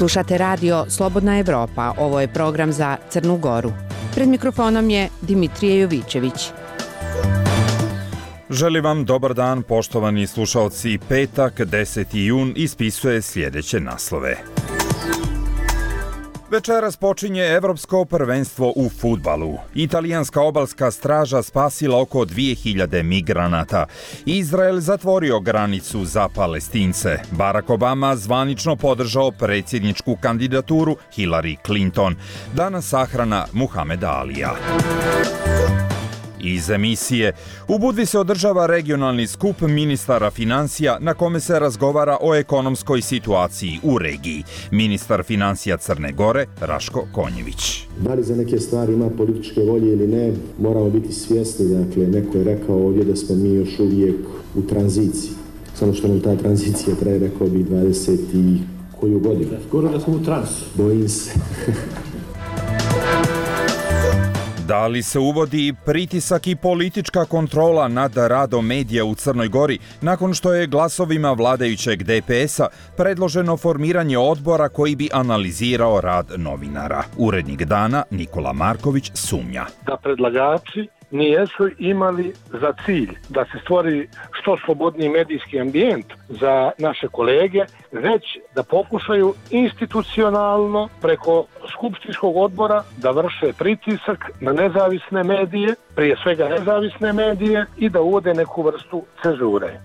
Slušate radio Slobodna Evropa, ovo je program za Crnu Goru. Pred mikrofonom je Dimitrije Jovićević. Želim vam dobar dan, poštovani slušaoci. Petak, 10. jun, ispisuje sljedeće naslove. Večeras počinje Evropsko prvenstvo u fudbalu. Italijanska obalska straža spasila oko 2000 migranata. Izrael zatvorio granicu za Palestince. Barack Obama zvanično podržao predsjedničku kandidaturu Hillary Clinton. Danas sahrana Muhameda Alija. Iz emisije. U Budvi se održava regionalni skup ministara financija na kome se razgovara o ekonomskoj situaciji u regiji. Ministar financija Crne Gore, Raško Konjević. Da li za neke stvari ima političke volje ili ne, moramo biti svjesni. Dakle, neko je rekao ovdje da smo mi još uvijek u tranziciji. Samo što nam ta tranzicija traje, rekao bi 20 i koju godinu. Skoro da smo u transu. Bojim se. Da li se uvodi pritisak i politička kontrola nad radom medija u Crnoj Gori nakon što je glasovima vladajućeg DPS-a predloženo formiranje odbora koji bi analizirao rad novinara? Urednik Dana Nikola Marković sumnja. Da predlagači nijesu imali za cilj da se stvori što slobodniji medijski ambijent za naše kolege, već da pokušaju institucionalno preko skupštinskog odbora da vrše pritisak na nezavisne medije, prije svega nezavisne medije, i da uvode neku vrstu cenzure.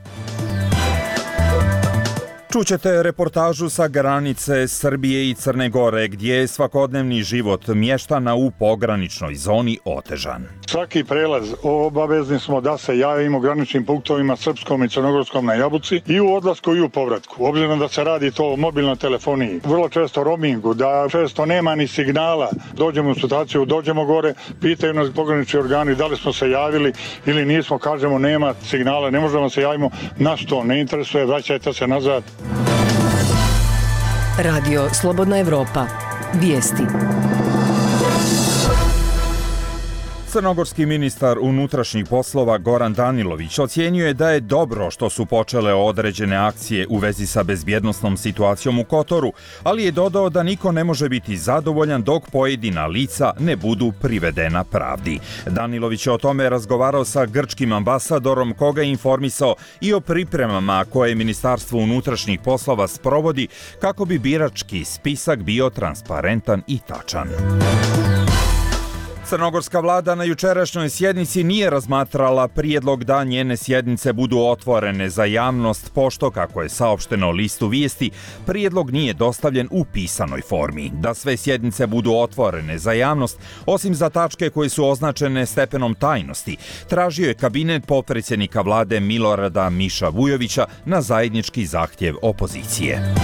Čućete reportažu sa granice Srbije i Crne Gore, gdje je svakodnevni život mještana u pograničnoj zoni otežan. Svaki prelaz obavezni smo da se javimo u graničnim punktovima srpskom i crnogorskom na Jabuci i u odlasku i u povratku. Obzirom da se radi to o mobilnoj telefoniji, vrlo često roamingu, da često nema ni signala, dođemo u situaciju, dođemo gore, pitaju nas pogranični organi da li smo se javili ili nismo, kažemo nema signala, ne možemo se javimo, nas to ne interesuje, vraćajte se nazad. Radio Slobodna Evropa. Vijesti. Crnogorski ministar unutrašnjih poslova Goran Danilović ocjenjuje da je dobro što su počele određene akcije u vezi sa bezbjednosnom situacijom u Kotoru, ali je dodao da niko ne može biti zadovoljan dok pojedina lica ne budu privedena pravdi. Danilović je o tome razgovarao sa grčkim ambasadorom, koga je informisao i o pripremama koje Ministarstvo unutrašnjih poslova sprovodi kako bi birački spisak bio transparentan i tačan. Crnogorska vlada na jučerašnjoj sjednici nije razmatrala prijedlog da njene sjednice budu otvorene za javnost, pošto, kako je saopšteno listu Vijesti, prijedlog nije dostavljen u pisanoj formi. Da sve sjednice budu otvorene za javnost, osim za tačke koje su označene stepenom tajnosti, tražio je kabinet potpredsjednika vlade Milorada Miša Vujovića na zajednički zahtjev opozicije.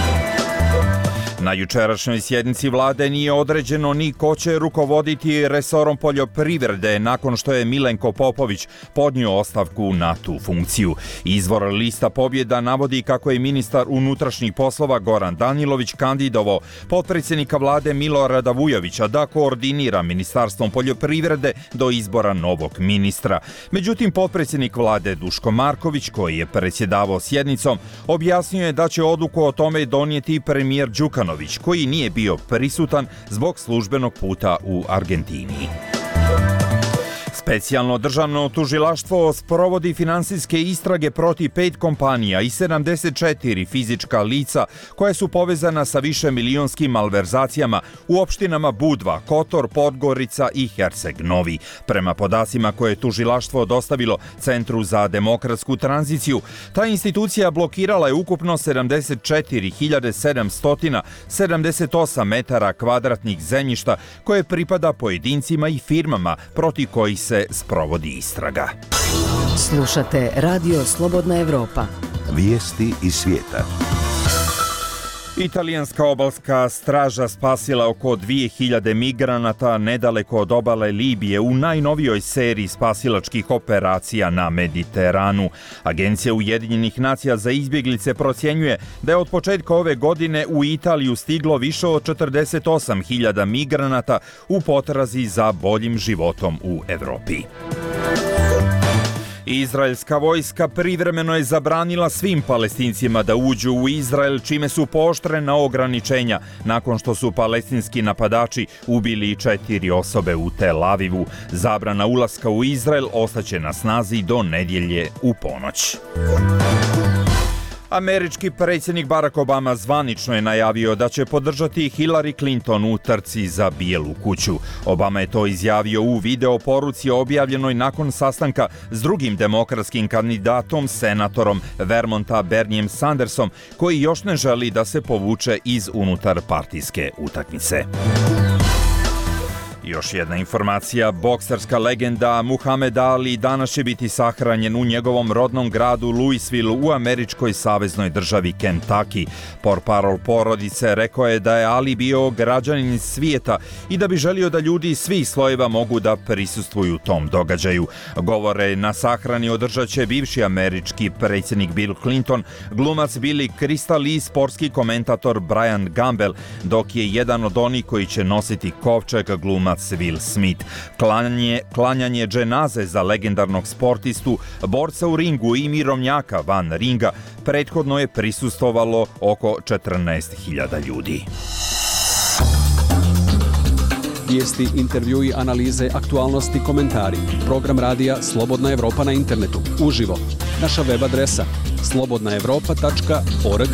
Na jučerašnjoj sjednici vlade nije određeno ni ko će rukovoditi resorom poljoprivrede nakon što je Milenko Popović podnio ostavku na tu funkciju. Izvor lista Pobjeda navodi kako je ministar unutrašnjih poslova Goran Danilović kandidovao potpredsjednika vlade Milorada Vujovića da koordinira Ministarstvom poljoprivrede do izbora novog ministra. Međutim, potpredsjednik vlade Duško Marković, koji je predsjedavao sjednicom, objasnio je da će odluku o tome donijeti premijer Đukanović, koji nije bio prisutan zbog službenog puta u Argentini. Specijalno državno tužilaštvo sprovodi finansijske istrage protiv 5 kompanija i 74 fizička lica koja su povezana sa višemilijonskim malverzacijama u opštinama Budva, Kotor, Podgorica i Herceg Novi. Prema podacima koje je tužilaštvo dostavilo Centru za demokratsku tranziciju, ta institucija blokirala je ukupno 74.778 metara kvadratnih zemljišta koje pripada pojedincima i firmama protiv kojih se sprovodi istraga. Slušate Radio Slobodna Evropa. Vijesti iz svijeta. Italijanska obalska straža spasila oko 2000 migranata nedaleko od obale Libije u najnovijoj seriji spasilačkih operacija na Mediteranu. Agencija Ujedinjenih nacija za izbjeglice procjenjuje da je od početka ove godine u Italiju stiglo više od 48.000 migranata u potrazi za boljim životom u Evropi. Izraelska vojska privremeno je zabranila svim Palestincima da uđu u Izrael, čime su pooštrena ograničenja nakon što su palestinski napadači ubili 4 osobe u Tel Avivu. Zabrana ulaska u Izrael ostaće na snazi do nedjelje u ponoć. Američki predsjednik Barack Obama zvanično je najavio da će podržati Hillary Clinton u trci za Bijelu kuću. Obama je to izjavio u video poruci objavljenoj nakon sastanka s drugim demokratskim kandidatom, senatorom Vermonta Bernijem Sandersom, koji još ne želi da se povuče iz unutarpartijske utakmice. Još jedna informacija, bokserska legenda Muhamed Ali danas će biti sahranjen u njegovom rodnom gradu Louisville u američkoj saveznoj državi Kentucky. Portparol porodice rekao je da je Ali bio građanin svijeta i da bi želio da ljudi iz svih slojeva mogu da prisustvuju tom događaju. Govore na sahrani održat će bivši američki predsjednik Bill Clinton, glumac Billy Crystal i sportski komentator Brian Gamble, dok je jedan od onih koji će nositi kovčeg glumac Will Smith. Klanjanje dženaze za legendarnog sportistu, borca u ringu i mirovnjaka van ringa prethodno je prisustvovalo oko 14.000 ljudi. Vijesti, intervjui, analize, aktualnosti, komentari. Program radija Slobodna Evropa na internetu. Uživo. Naša web adresa slobodnaevropa.org.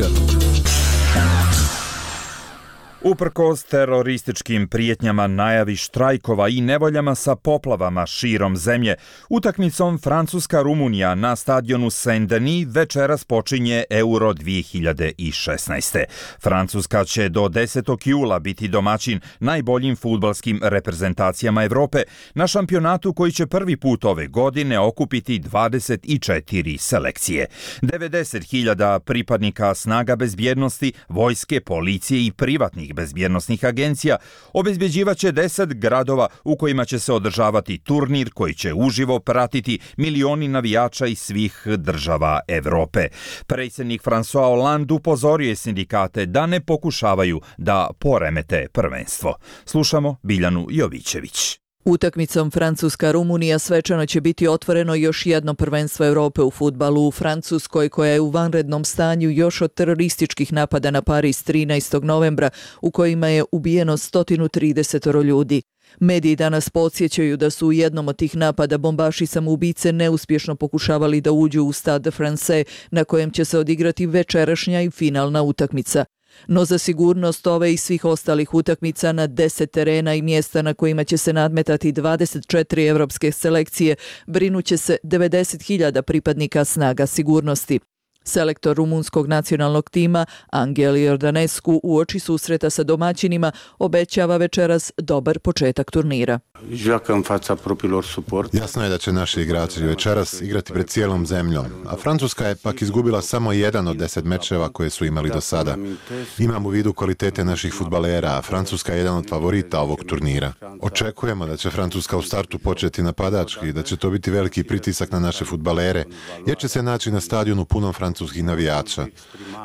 Uprkos terorističkim prijetnjama, najavi štrajkova i nevoljama sa poplavama širom zemlje, utakmicom Francuska-Rumunija na stadionu Saint-Denis večeras počinje Euro 2016. Francuska će do 10. jula biti domaćin najboljim fudbalskim reprezentacijama Evrope na šampionatu koji će prvi put ove godine okupiti 24 selekcije. 90.000 pripadnika snaga bezbjednosti, vojske, policije i privatnih bezbjednosnih agencija obezbjeđivaće 10 gradova u kojima će se održavati turnir koji će uživo pratiti milioni navijača iz svih država Evrope. Predsjednik François Hollande upozorio je sindikate da ne pokušavaju da poremete prvenstvo. Slušamo Biljanu Jovićević. Utakmicom Francuska-Rumunija svečano će biti otvoreno još jedno prvenstvo Europe u fudbalu u Francuskoj, koja je u vanrednom stanju još od terorističkih napada na Pariz 13. novembra, u kojima je ubijeno 130 ljudi. Mediji danas podsjećaju da su u jednom od tih napada bombaši samoubice neuspješno pokušavali da uđu u Stade Français, na kojem će se odigrati večerašnja i finalna utakmica. No za sigurnost ove i svih ostalih utakmica na 10 terena i mjesta na kojima će se nadmetati 24 evropske selekcije brinuće se 90.000 pripadnika snaga sigurnosti. Selektor rumunskog nacionalnog tima Angel Iordanescu uoči susreta sa domaćinima obećava večeras dobar početak turnira. Jasno je da će naši igrači večeras igrati pred cijelom zemljom, a Francuska je pak izgubila samo jedan od 10 mečeva koje su imali do sada. Imam u vidu kvalitete naših fudbalera, a Francuska je jedan od favorita ovog turnira. Očekujemo da će Francuska u startu početi napadački i da će to biti veliki pritisak na naše fudbalere, jer će se naći na stadionu punom francuskih navijača.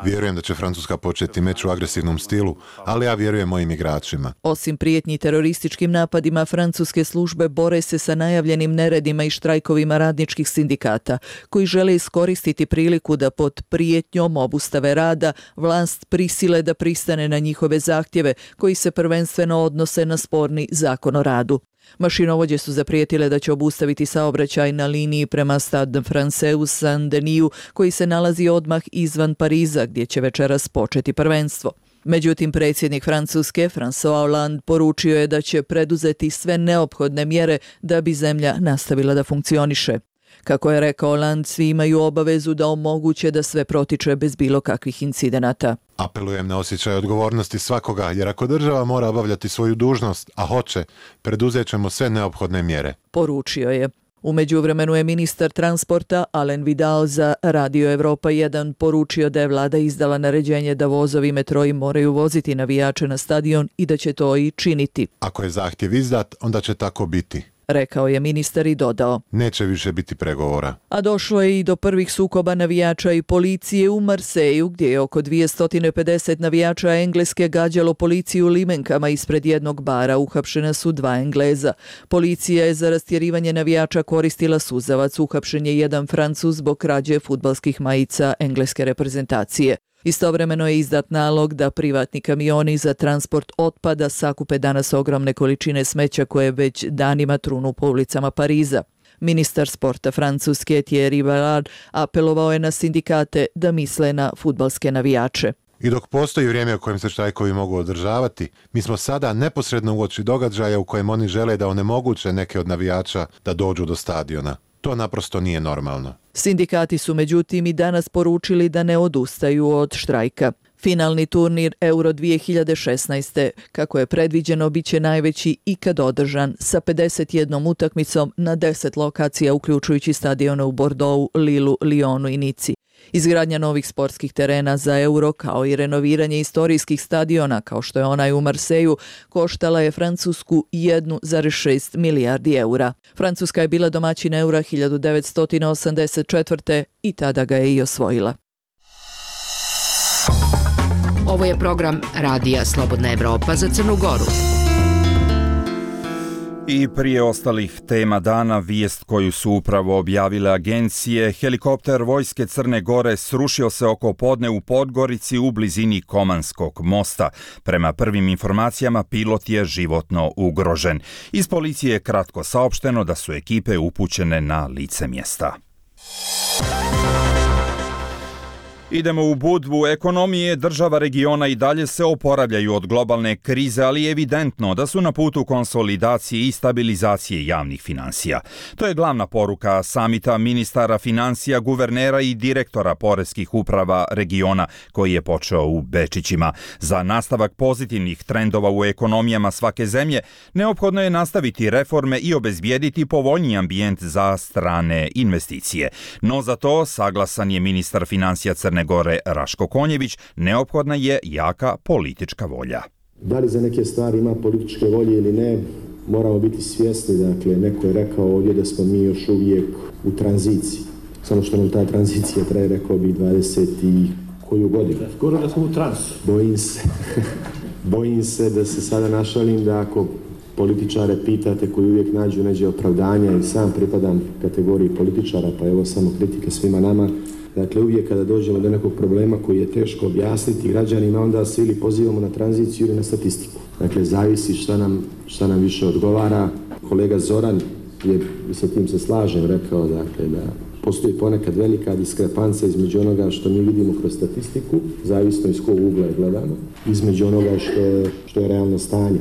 Vjerujem da će Francuska početi meč u agresivnom stilu, ali ja vjerujem mojim igračima. Osim prijetnji terorističkim napadima, francuske službe bore se sa najavljenim neredima i štrajkovima radničkih sindikata, koji žele iskoristiti priliku da pod prijetnjom obustave rada vlast prisile da pristane na njihove zahtjeve, koji se prvenstveno odnose na sporni zakon o radu. Mašinovođe su zaprijetile da će obustaviti saobraćaj na liniji prema Stade Français u Saint-Denisu, koji se nalazi odmah izvan Pariza, gdje će večeras početi prvenstvo. Međutim, predsjednik Francuske, François Hollande, poručio je da će preduzeti sve neophodne mjere da bi zemlja nastavila da funkcioniše. Kako je rekao Hollande, svi imaju obavezu da omoguće da sve protiče bez bilo kakvih incidenata. Apelujem na osjećaj odgovornosti svakoga, jer ako država mora obavljati svoju dužnost, a hoće, preduzet ćemo sve neophodne mjere. Poručio je. U međuvremenu je ministar transporta Alain Vidal za Radio Evropa 1 poručio da je vlada izdala naređenje da vozovi metroi moraju voziti navijače na stadion i da će to i činiti. Ako je zahtjev izdat, onda će tako biti. rekao je ministar i dodao. Neće više biti pregovora. A došlo je i do prvih sukoba navijača i policije u Marseju, gdje je oko 250 navijača Engleske gađalo policiju limenkama ispred jednog bara. Uhapšena su 2 Engleza. Policija je za rastjerivanje navijača koristila suzavac. Uhapšen je jedan Francuz zbog krađe fudbalskih majica engleske reprezentacije. Istovremeno je izdat nalog da privatni kamioni za transport otpada sakupe danas ogromne količine smeća koje već danima trunu po ulicama Pariza. Ministar sporta Francuske Thierry Ballard apelovao je na sindikate da misle na fudbalske navijače. I dok postoji vrijeme u kojem se štrajkovi mogu održavati, mi smo sada neposredno uoči događaja u kojem oni žele da onemoguće neke od navijača da dođu do stadiona. To naprosto nije normalno. Sindikati su međutim i danas poručili da ne odustaju od štrajka. Finalni turnir Euro 2016. kako je predviđeno bit će najveći ikad održan sa 51 utakmicom na 10 lokacija uključujući stadione u Bordeauxu, Lillu, Lyonu i Nici. Izgradnja novih sportskih terena za Euro kao i renoviranje istorijskih stadiona kao što je onaj u Marseju koštala je Francusku 1,6 milijardi eura. Francuska je bila domaćin Eura 1984. i tada ga je i osvojila. Ovo je program Radija Slobodna Evropa za Crnu Goru. I prije ostalih tema dana, vijest koju su upravo objavile agencije, helikopter vojske Crne Gore srušio se oko podne u Podgorici u blizini Komanskog mosta. Prema prvim informacijama, pilot je životno ugrožen. Iz policije je kratko saopšteno da su ekipe upućene na lice mjesta. Idemo u Budvu. Ekonomije država regiona i dalje se oporavljaju od globalne krize, ali je evidentno da su na putu konsolidacije i stabilizacije javnih finansija. To je glavna poruka samita ministara financija, guvernera i direktora poreskih uprava regiona koji je počeo u Bečićima. Za nastavak pozitivnih trendova u ekonomijama svake zemlje neophodno je nastaviti reforme i obezbijediti povoljniji ambijent za strane investicije. No za to, saglasan je ministar financija Crne Gore Raško Konjević, neophodna je jaka politička volja. Da li za neke stvari ima političke volje ili ne, moramo biti svjesni. Dakle, neko je rekao ovdje da smo mi još uvijek u tranziciji. Samo što nam ta tranzicija traje, rekao bi 20 i koju godinu. Skoro da smo u transu. Bojim se da se sada našalim da ako političare pitate koji uvijek nađu neđe opravdanja, i sam pripadam kategoriji političara, pa evo samo kritike svima nama. Dakle, uvijek kada dođemo do nekog problema koji je teško objasniti građanima, onda se ili pozivamo na tranziciju ili na statistiku. Dakle, zavisi šta nam više odgovara. Kolega Zoran je, sa tim se slažem, rekao dakle, da postoji ponekad velika diskrepanca između onoga što mi vidimo kroz statistiku, zavisno iz kog ugla je gledano, između onoga što je realno stanje.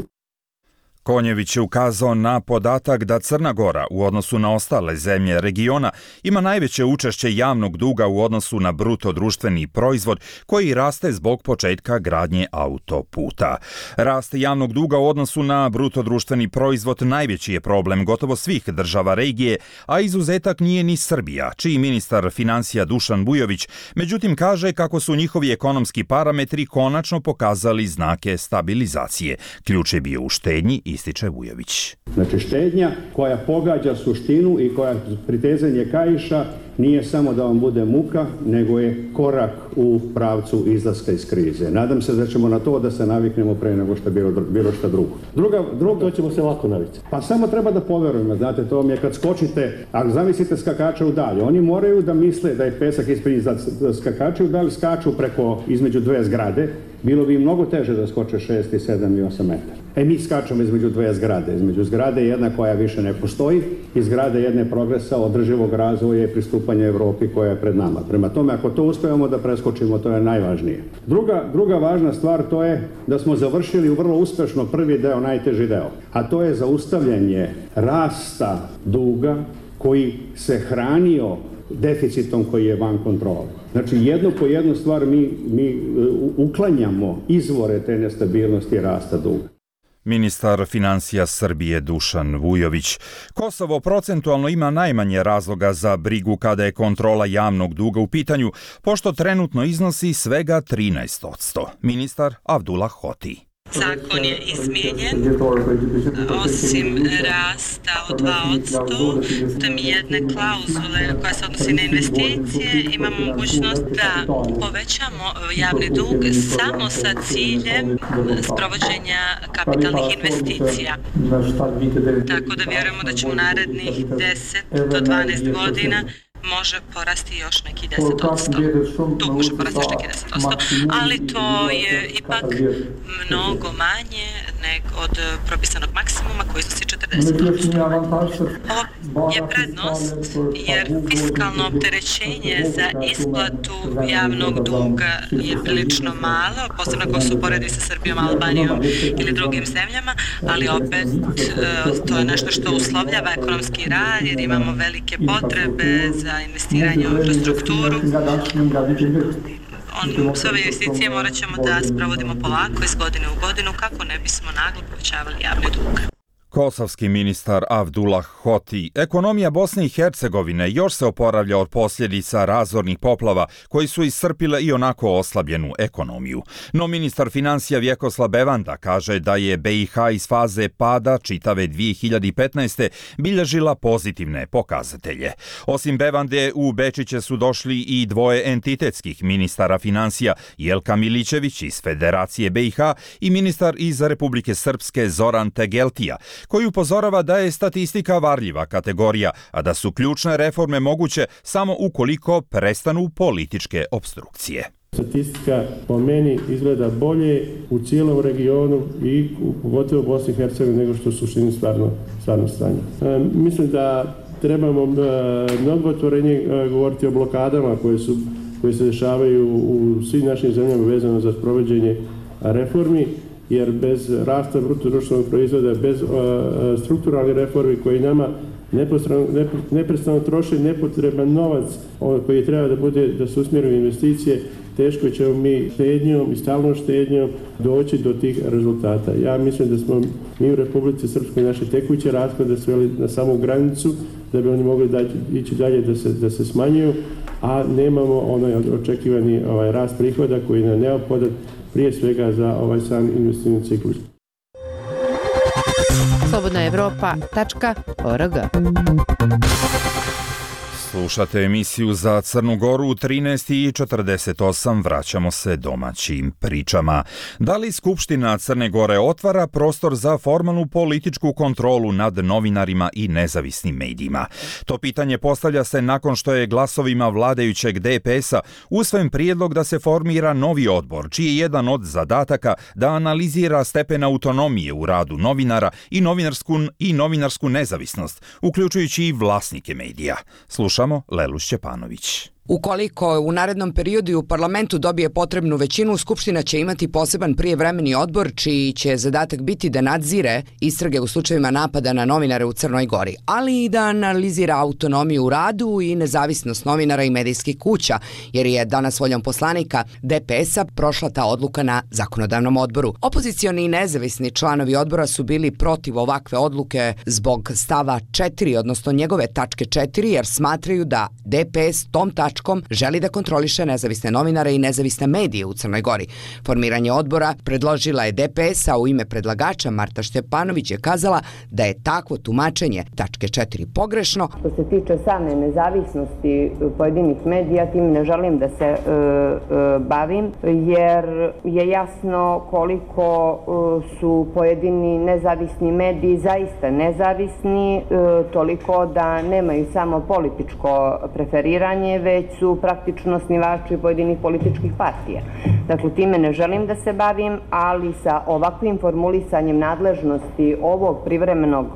Konjević je ukazao na podatak da Crna Gora u odnosu na ostale zemlje regiona ima najveće učešće javnog duga u odnosu na bruto društveni proizvod koji raste zbog početka gradnje autoputa. Rast javnog duga u odnosu na bruto društveni proizvod najveći je problem gotovo svih država regije, a izuzetak nije ni Srbija, čiji ministar financija Dušan Vujović međutim kaže kako su njihovi ekonomski parametri konačno pokazali znake stabilizacije. Ključ je bio u štednji, ističe Vujović. Znači štednja koja pogađa suštinu i koja pritezanje kaiša nije samo da vam bude muka, nego je korak u pravcu izlaska iz krize. Nadam se da ćemo na to da se naviknemo pre nego što bilo šta drugo. Drugo ćemo se lako navikti. Pa samo treba da poverujemo, znate, to mi je kad skočite, ako zamislite skakača u dalje, oni moraju da misle da je pesak ispred skakača u dalje, skaču preko između dve zgrade, bilo bi mnogo teže da skoče 6, 7 i 8 metara. Mi skačemo između dve zgrade. Između zgrade jedna koja više ne postoji i zgrade jedne progresa, održivog razvoja i pristupanja Evropi koja je pred nama. Prema tome, ako to uspijemo da preskočimo, to je najvažnije. Druga važna stvar to je da smo završili vrlo uspešno prvi deo, najteži deo. A to je zaustavljanje rasta duga koji se hranio deficitom koji je van kontrole. Znači, jedno po jednu stvar mi uklanjamo izvore te nestabilnosti rasta duga. Ministar financija Srbije Dušan Vujović. Kosovo procentualno ima najmanje razloga za brigu kada je kontrola javnog duga u pitanju, pošto trenutno iznosi svega 13%. Ministar Avdullah Hoti. Zakon je izmijenjen, osim rasta od 2%, tam jedne klauzule koja se odnosi na investicije, imamo mogućnost da povećamo javni dug samo sa ciljem sprovođenja kapitalnih investicija. Tako da vjerujemo da će u narednih 10 do 12 godina može porasti još neki 10%. Dug može porasti još neki 10%, ali to je ipak mnogo manje nego od propisanog maksimuma koji iznosi 40%. Ovo je prednost jer fiskalno opterećenje za isplatu javnog duga je prilično malo, posebno ako se uporedi sa Srbijom, Albanijom ili drugim zemljama, ali opet to je nešto što uslovljava ekonomski rad jer imamo velike potrebe za investiranje u infrastrukturu. Sve ove investicije morat ćemo da sprovodimo polako iz godine u godinu kako ne bismo naglo povećavali javni dug. Kosovski ministar Avdullah Hoti. Ekonomija Bosne i Hercegovine još se oporavlja od posljedica razornih poplava koji su iscrpile i onako oslabljenu ekonomiju. No ministar financija Vjekoslav Bevanda kaže da je BiH iz faze pada čitave 2015. bilježila pozitivne pokazatelje. Osim Bevande, u Bečiće su došli i dvoje entitetskih ministara financija, Jelka Milićević iz Federacije BiH i ministar iz Republike Srpske Zoran Tegeltija, koji upozorava da je statistika varljiva kategorija, a da su ključne reforme moguće samo ukoliko prestanu političke opstrukcije. Statistika po meni izgleda bolje u cijelom regionu i pogotovo u Bosni i Hercegovini nego što su u suštini stvarno stanje. Mislim da trebamo mnogo otvorenje govoriti o blokadama koje se dešavaju u svim našim zemljama vezano za sprovođenje reformi, jer bez rasta bruto društvenog proizvoda, bez strukturalnih reformi koji nama neprestano troše nepotreban novac koji treba da se usmjeri u investicije, teško ćemo mi štednjom i stalnom štednjom doći do tih rezultata. Ja mislim da smo mi u Republici Srpskoj naše tekuće rashode sveli na samu granicu da bi oni mogli ići dalje da se smanjuju, a nemamo onaj očekivani rast prihoda koji je neophodan prije svega za ovaj sam investicijni ciklus. slobodnaevropa.org. Slušate emisiju za Crnu Goru u 13:48. Vraćamo se domaćim pričama. Da li Skupština Crne Gore otvara prostor za formalnu političku kontrolu nad novinarima i nezavisnim medijima? To pitanje postavlja se nakon što je glasovima vladajućeg DPS-a usvojen prijedlog da se formira novi odbor, čiji je jedan od zadataka da analizira stepen autonomije u radu novinara i novinarsku nezavisnost, uključujući i vlasnike medija. Slušamo Lelu Šćepanović. Ukoliko u narednom periodu u parlamentu dobije potrebnu većinu, Skupština će imati poseban prijevremeni odbor čiji će zadatak biti da nadzire istrage u slučajevima napada na novinare u Crnoj Gori, ali i da analizira autonomiju u radu i nezavisnost novinara i medijskih kuća, jer je danas voljom poslanika DPS-a prošla ta odluka na zakonodavnom odboru. Opozicioni i nezavisni članovi odbora su bili protiv ovakve odluke zbog stava 4, odnosno njegove tačke 4, jer smatraju da DPS tom tačkom želi da kontroliše nezavisne novinare i nezavisne medije u Crnoj Gori. Formiranje odbora predložila je DPS, a u ime predlagača Marta Štepanović je kazala da je takvo tumačenje tačke 4 pogrešno. Što se tiče same nezavisnosti pojedinih medija, tim ne želim da se bavim, jer je jasno koliko su pojedini nezavisni mediji zaista nezavisni, toliko da nemaju samo političko preferiranje, već su praktično osnivači pojedinih političkih partija. Dakle, time ne želim da se bavim, ali sa ovakvim formulisanjem nadležnosti ovog privremenog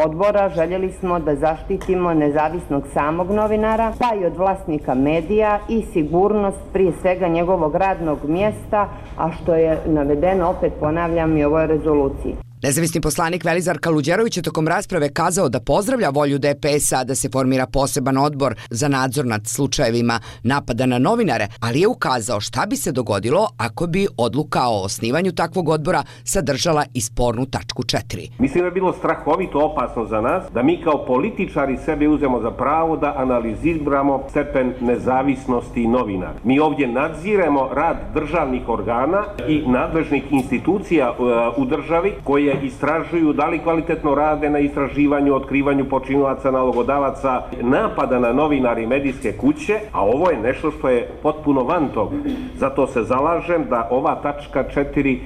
odbora željeli smo da zaštitimo nezavisnog samog novinara, pa i od vlasnika medija i sigurnost prije svega njegovog radnog mjesta, a što je navedeno, opet ponavljam, i u ovoj rezoluciji. Nezavisni poslanik Velizar Kaluđerović je tokom rasprave kazao da pozdravlja volju DPS-a da se formira poseban odbor za nadzor nad slučajevima napada na novinare, ali je ukazao šta bi se dogodilo ako bi odluka o osnivanju takvog odbora sadržala i spornu tačku 4. Mislim da je bilo strahovito opasno za nas da mi kao političari sebi uzemo za pravo da analiziramo stepen nezavisnosti novinara. Mi ovdje nadziremo rad državnih organa i nadležnih institucija u državi koje istražuju da li kvalitetno rade na istraživanju, otkrivanju počinilaca, nalogodavaca, napada na novinari i medijske kuće, a ovo je nešto što je potpuno van toga. Zato se zalažem da ova tačka 4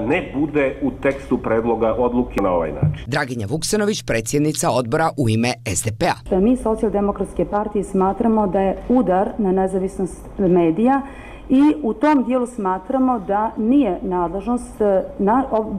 ne bude u tekstu predloga odluke na ovaj način. Draginja Vuksanović, predsjednica odbora u ime SDP-a. Mi Socijaldemokratske partije smatramo da je udar na nezavisnost medija i u tom dijelu smatramo da nije nadležnost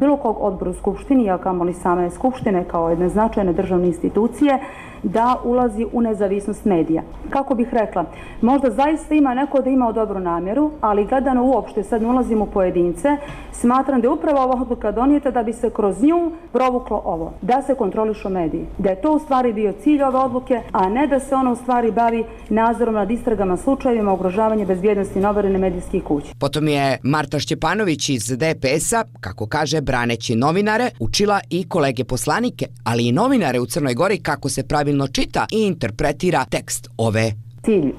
bilo kog odbora u Skupštini, a kamoli same Skupštine kao jedne značajne državne institucije, da ulazi u nezavisnost medija. Kako bih rekla, možda zaista ima neko da ima dobru namjeru, ali gledano uopšte, sad ne ulazim u pojedince, smatram da je upravo ova odluka donijeta da bi se kroz nju provuklo ovo, da se kontrolišu mediji. Da je to u stvari bio cilj ove odluke, a ne da se ono u stvari bavi nadzorom nad istragama slučajevima ugrožavanja bezbjednosti novinara medijskih kuća. Potom je Marta Šćepanović iz DPS-a, kako kaže, braneći novinare, učila i kolege poslanike, ali i novinare u Crnoj Gori kako se pravilno čita i interpretira tekst ove. Cilj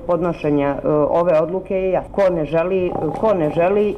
podnošenja ove odluke je jasan. Ko ne želi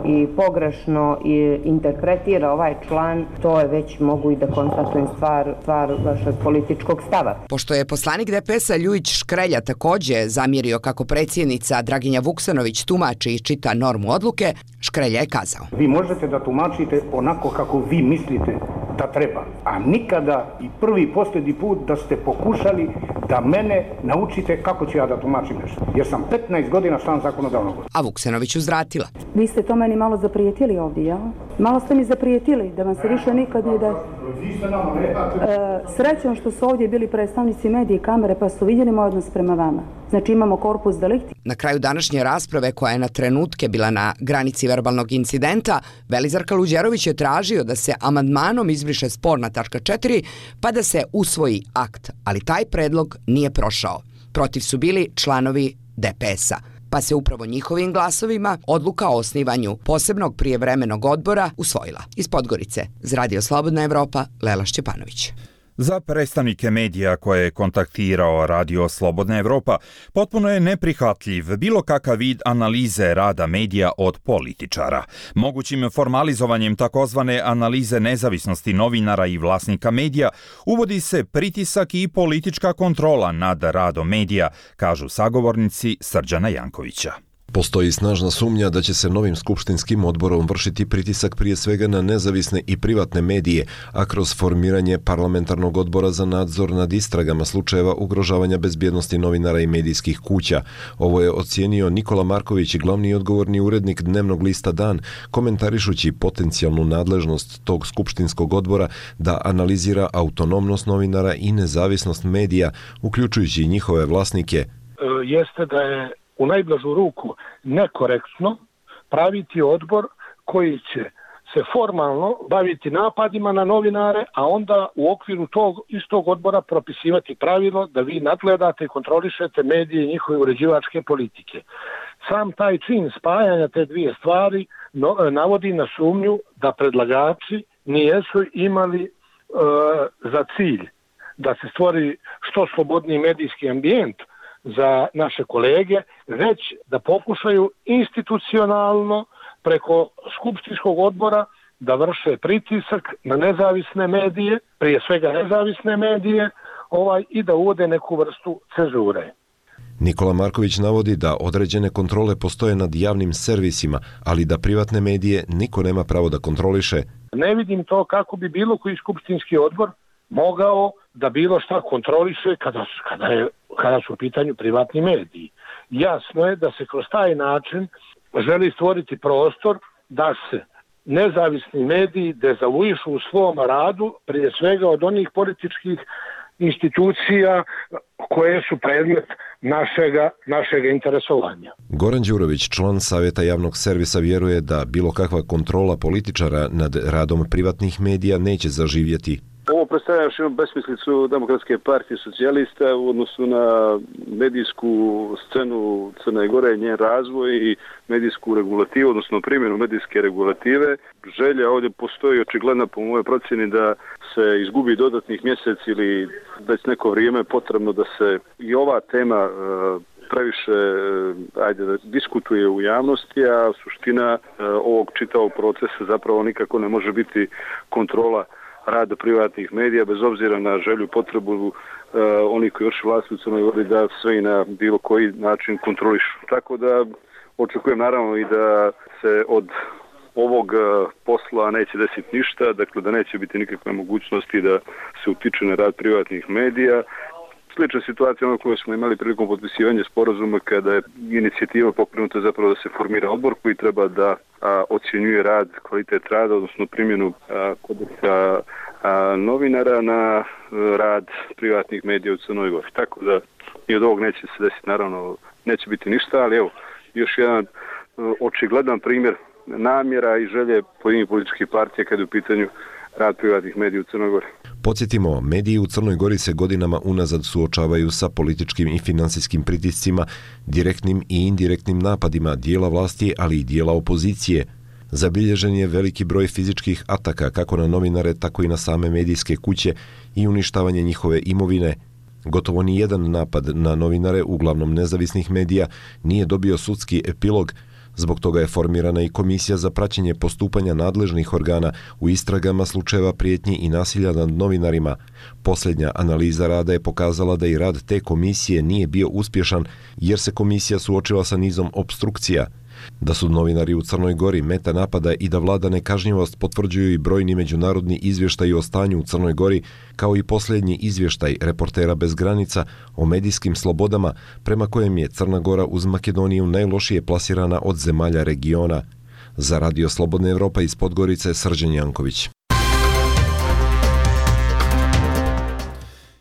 i pogrešno interpretira ovaj član, to je već mogu i da konstatujem stvar vašeg političkog stava. Pošto je poslanik DPS-a Ljujić Škrelja također zamjerio kako predsjednica Draginja Vuksanović tumači i čita normu odluke, Škrelja je kazao: Vi možete da tumačite onako kako vi mislite da treba, a nikada i prvi i posljednji put da ste pokušali da mene naučite kako ću ja da tumačim nešto. Jer sam 15 godina član zakonodavnog odbora. A Vuksanović uzvratila: Vi ste to meni malo zaprijetili ovdje, jel? Malo ste mi zaprijetili da vam se više nikad nije da... Srećom što su ovdje bili predstavnici medije i kamere pa su vidjeli moj odnos prema vama. Znači imamo korpus delikti. Na kraju današnje rasprave, koja je na trenutke bila na granici verbalnog incidenta, Velizar Kaluđerović je tražio da se amandmanom izbriše sporna tačka 4 pa da se usvoji akt, ali taj predlog nije prošao. Protiv su bili članovi DPS-a, pa se upravo njihovim glasovima odluka o osnivanju posebnog prijevremenog odbora usvojila. Iz Podgorice, za Radio Slobodna Evropa, Lela Šćepanović. Za predstavnike medija koje je kontaktirao Radio Slobodna Evropa, potpuno je neprihvatljiv bilo kakav vid analize rada medija od političara. Mogućim formalizovanjem takozvane analize nezavisnosti novinara i vlasnika medija uvodi se pritisak i politička kontrola nad radom medija, kažu sagovornici Srđana Jankovića. Postoji snažna sumnja da će se novim skupštinskim odborom vršiti pritisak prije svega na nezavisne i privatne medije, a kroz formiranje parlamentarnog odbora za nadzor nad istragama slučajeva ugrožavanja bezbjednosti novinara i medijskih kuća. Ovo je ocijenio Nikola Marković, glavni i odgovorni urednik dnevnog lista Dan, komentarišući potencijalnu nadležnost tog skupštinskog odbora da analizira autonomnost novinara i nezavisnost medija, uključujući i njihove vlasnike. Jeste da je u najblažu ruku nekorektno praviti odbor koji će se formalno baviti napadima na novinare, a onda u okviru tog istog odbora propisivati pravilo da vi nadgledate i kontrolišete medije i njihove uređivačke politike. Sam taj čin spajanja te dvije stvari navodi na sumnju da predlagači nijesu imali za cilj da se stvori što slobodniji medijski ambijent za naše kolege, već da pokušaju institucionalno preko skupštinskog odbora da vrše pritisak na nezavisne medije, prije svega nezavisne medije, i da uvode neku vrstu cenzure. Nikola Marković navodi da određene kontrole postoje nad javnim servisima, ali da privatne medije niko nema pravo da kontroliše. Ne vidim to kako bi bilo koji skupštinski odbor mogao da bilo šta kontroliše kada su u pitanju privatni mediji. Jasno je da se kroz taj način želi stvoriti prostor da se nezavisni mediji dezavuišu u svom radu, prije svega od onih političkih institucija koje su predmet našeg interesovanja. Goran Đurović, član Savjeta javnog servisa, vjeruje da bilo kakva kontrola političara nad radom privatnih medija neće zaživjeti. Ovo predstavlja još jednu besmislicu Demokratske partije socijalista u odnosu na medijsku scenu Crne Gore, njen razvoj i medijsku regulativu, odnosno primjenu medijske regulative. Želja ovdje postoji očigledna po mojoj procjeni da se izgubi dodatnih mjesec ili već neko vrijeme potrebno da se i ova tema previše diskutuje u javnosti, a suština ovog čitavog procesa zapravo nikako ne može biti kontrola rada privatnih medija, bez obzira na želju, potrebu onih koji vrši vlast u Crnoj Gori da sve i na bilo koji način kontrolišu. Tako da očekujem naravno i da se od ovog posla neće desiti ništa, dakle da neće biti nikakve mogućnosti da se utiče na rad privatnih medija. Slična situacija ono koju smo imali prilikom potpisivanja sporazuma kada je inicijativa pokrenuta zapravo da se formira odbor koji treba da ocjenjuje rad, kvalitet rada, odnosno primjenu kodeksa novinara na rad privatnih medija u Crnoj Gori. Tako da i od ovog neće se desiti, naravno neće biti ništa, ali evo još jedan očigledan primjer namjera i želje pojedinih političkih partija kada je u pitanju rad privatnih medija u Crnoj Gori. Podsjetimo, mediji u Crnoj Gori se godinama unazad suočavaju sa političkim i financijskim pritiscima, direktnim i indirektnim napadima dijela vlasti, ali i dijela opozicije. Zabilježen je veliki broj fizičkih ataka kako na novinare, tako i na same medijske kuće i uništavanje njihove imovine. Gotovo ni jedan napad na novinare, uglavnom nezavisnih medija, nije dobio sudski epilog. Zbog toga je formirana i komisija za praćenje postupanja nadležnih organa u istragama slučajeva prijetnji i nasilja nad novinarima. Posljednja analiza rada je pokazala da i rad te komisije nije bio uspješan jer se komisija suočila sa nizom opstrukcija. Da su novinari u Crnoj Gori meta napada i da vlada nekažnjivost potvrđuju i brojni međunarodni izvještaji o stanju u Crnoj Gori, kao i posljednji izvještaj Reportera bez granica o medijskim slobodama, prema kojem je Crna Gora uz Makedoniju najlošije plasirana od zemalja regiona. Za Radio Slobodna Evropa iz Podgorice, Srđan Janković.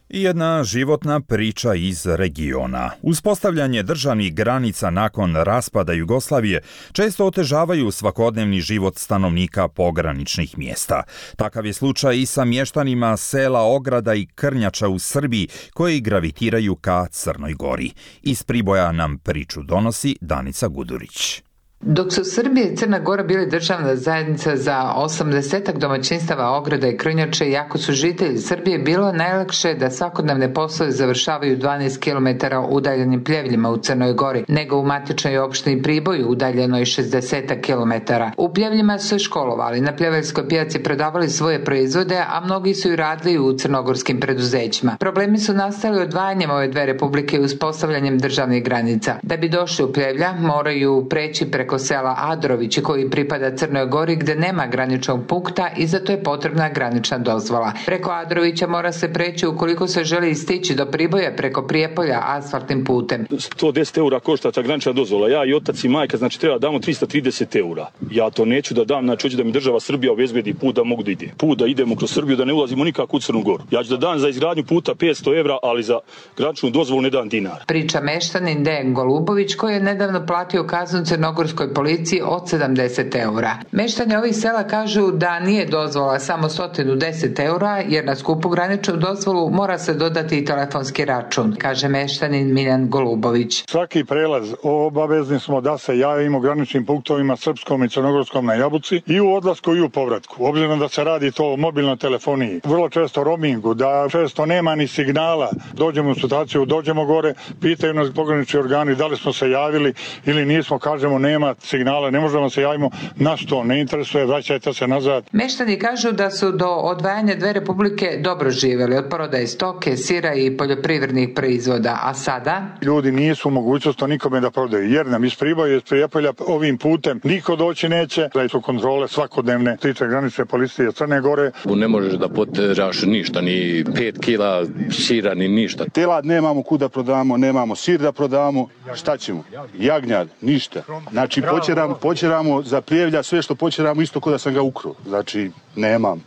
I jedna životna priča iz regiona. Uspostavljanje državnih granica nakon raspada Jugoslavije često otežavaju svakodnevni život stanovnika pograničnih mjesta. Takav je slučaj i sa mještanima sela Ograda i Krnjača u Srbiji koji gravitiraju ka Crnoj Gori. Iz Priboja nam priču donosi Danica Gudurić. Dok su Srbija i Crna Gora bili državna zajednica za 80 domaćinstava Ograda i Krnjače, jako su žitelji Srbije bilo najlakše da svakodnevne poslove završavaju 12 km udaljenim Pljevljima u Crnoj Gori, nego u matičnoj opštini Priboju udaljenoj 60 km. U Pljevljima su se školovali, na pljeveljskoj pijaci prodavali svoje proizvode, a mnogi su i radili u crnogorskim preduzećima. Problemi su nastali odvajanjem ove dve republike i uspostavljanjem državnih granica. Da bi došli u Pljevlja, moraju preći preko sela Adrovići koji pripada Crnoj Gori gdje nema graničnog punkta i zato je potrebna granična dozvola. Preko Adrovića mora se preći ukoliko se želi stići do Priboja preko Prijepolja asfaltnim putem. 110 eura košta ta granična dozvola. Ja i otac i majka, znači treba damo 330 eura. Ja to neću da dam, znači hoću da mi država Srbija obezbedi put da mogu da ide. Put da idemo kroz Srbiju, da ne ulazimo nikako u Crnu Goru. Ja ću da dam za izgradnju puta 500 eura, ali za graničnu dozvolu ne dam dinar. Priča meštanin Dejan Golubović koji je nedavno platio kaznu crnogorskoj policiji od 70 eura. Meštani ovih sela kažu da nije dozvola samo 110 eura, jer na skupu graničnu dozvolu mora se dodati i telefonski račun, kaže meštanin Miljan Golubović. Svaki prelaz obavezni smo da se javimo graničnim punktovima srpskom i crnogorskom na Jabuci i u odlasku i u povratku. Obzirom da se radi to o mobilnoj telefoniji, vrlo često roamingu, da često nema ni signala, dođemo u situaciju, dođemo gore, pitaju nas pogranični organi da li smo se javili ili nismo, kažemo nema signala, ne možemo se javimo, nas to ne interesuje, vraćajte se nazad. Meštani kažu da su do odvajanja dve republike dobro živjeli od prodaje stoke, sira i poljoprivrednih proizvoda, a sada? Ljudi nisu u mogućnosti nikome da prodaju, jer nam iz Priboja i iz Prijepolja ovim putem niko doći neće, da su kontrole svakodnevne, tiče granične policije Crne Gore. Ne možeš da poteraš ništa, ni 5 kila sira, ni ništa. Telad nemamo kuda prodamo, nemamo sir da prodamo, šta ćemo? Jagnjad, ništa. Znači Znači počeramo za Pljevlja sve što počeramo isto kao da sam ga ukrao. Znači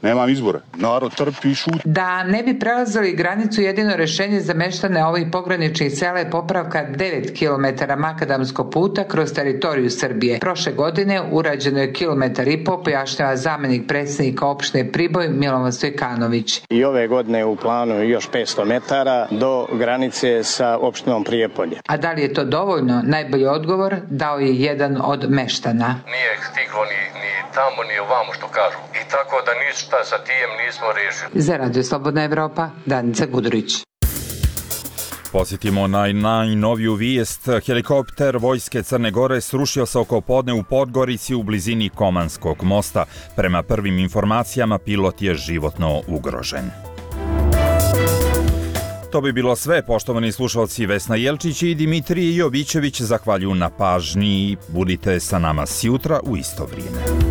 nemam izbora. Narod trpi i šuti. Da ne bi prelazili granicu, jedino rješenje za meštane ovih pograničnih sela je popravka 9 km makadamskog puta kroz teritoriju Srbije. Prošle godine urađeno je 1,5 km, pojašnjava zamjenik predsjednika opštine Priboj Milovan Stojkanović. I ove godine u planu još 500 metara do granice sa opštinom Prijepolje. A da li je to dovoljno? Najbolji odgovor dao je jedan od meštana. Nije stiglo ni tamo ni ovamo što kažu. I tako da ništa sa tijem nismo riješili. Za Radio Slobodna Evropa, Danica Gudurić. Posjetimo na najnoviju vijest. Helikopter Vojske Crne Gore srušio se oko podne u Podgorici u blizini Komanskog mosta. Prema prvim informacijama, pilot je životno ugrožen. To bi bilo sve, poštovani slušalci. Vesna Jelčić i Dimitrije Jovićević zahvaljuju na pažnji. Budite sa nama sjutra u isto vrijeme.